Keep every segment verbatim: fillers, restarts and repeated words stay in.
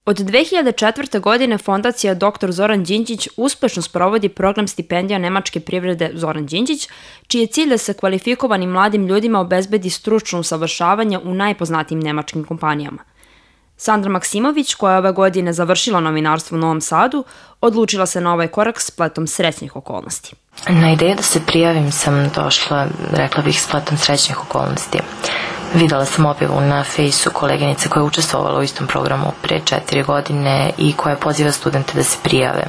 Od dve hiljade četvrte. godine fondacija doktor Zoran Đinđić uspešno sprovodi program stipendija nemačke privrede Zoran Đinđić, čiji je cilj da se kvalifikovanim mladim ljudima obezbedi stručno usavršavanje u najpoznatijim nemačkim kompanijama. Sandra Maksimović, koja je ove godine završila novinarstvo u Novom Sadu, odlučila se na ovaj korak spletom srećnih okolnosti. Na ideju da se prijavim sam došla, rekla bih, spletom srećnih okolnosti. Videla sam objavu na fejsu koleginice koja je učestvovala u istom programu pre četiri godine i koja poziva studente da se prijave.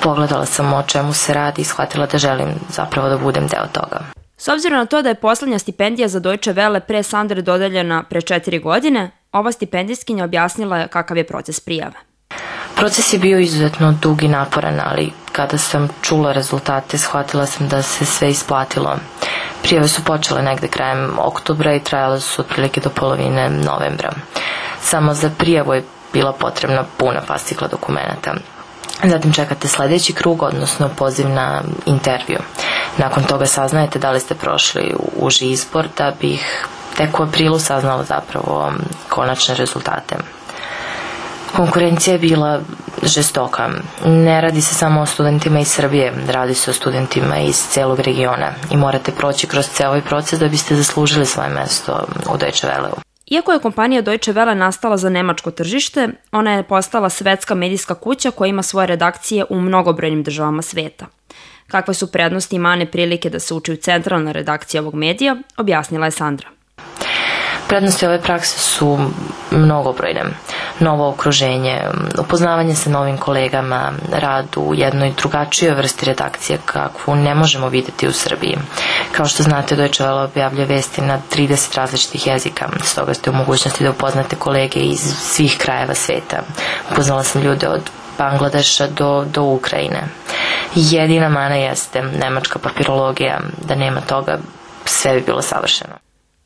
Pogledala sam o čemu se radi i shvatila da želim zapravo da budem deo toga. S obzirom na to da je poslednja stipendija za Deutsche Welle pre Sandre dodeljena pre četiri godine, ova stipendijskinja objasnila je kakav je proces prijave. Proces je bio izuzetno dug i naporan, ali kada sam čula rezultate, shvatila sam da se sve isplatilo. Prijave su počele negde krajem oktobra i trajale su otprilike do polovine novembra. Samo za prijavu je bila potrebna puna fascikla dokumenta. Zatim čekate sledeći krug, odnosno poziv na intervju. Nakon toga saznajete da li ste prošli uži izbor, da bih tek u aprilu saznala zapravo konačne rezultate. Konkurencija je bila žestoka. Ne radi se samo o studentima iz Srbije, radi se o studentima iz celog regiona i morate proći kroz ceo ovaj proces da biste zaslužili svoje mesto u Deutsche Welleu. Iako je kompanija Deutsche Welle nastala za nemačko tržište, ona je postala svetska medijska kuća koja ima svoje redakcije u mnogobrojnim državama sveta. Kakve su prednosti i mane prilike da se uči u centralnoj redakciji ovog medija, objasnila je Sandra. Prednosti ove prakse su mnogobrojne. Novo okruženje, upoznavanje sa novim kolegama, rad u jednoj drugačijoj vrsti redakcije kakvu ne možemo videti u Srbiji. Kao što znate, Deutsche Welle objavlja vesti na trideset različitih jezika, stoga ste u mogućnosti da upoznate kolege iz svih krajeva sveta. Upoznala sam ljude od Bangladeša do, do Ukrajine. Jedina mana jeste nemačka papirologija, da nema toga sve bi bilo savršeno.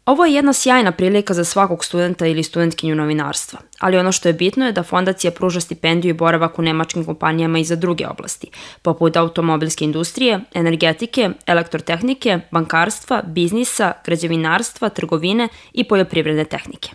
Ovo je jedna sjajna prilika za svakog studenta ili studentkinju novinarstva, ali ono što je bitno je da fondacija pruža stipendiju i boravak u nemačkim kompanijama i za druge oblasti, poput automobilske industrije, energetike, elektrotehnike, bankarstva, biznisa, građevinarstva, trgovine i poljoprivredne tehnike.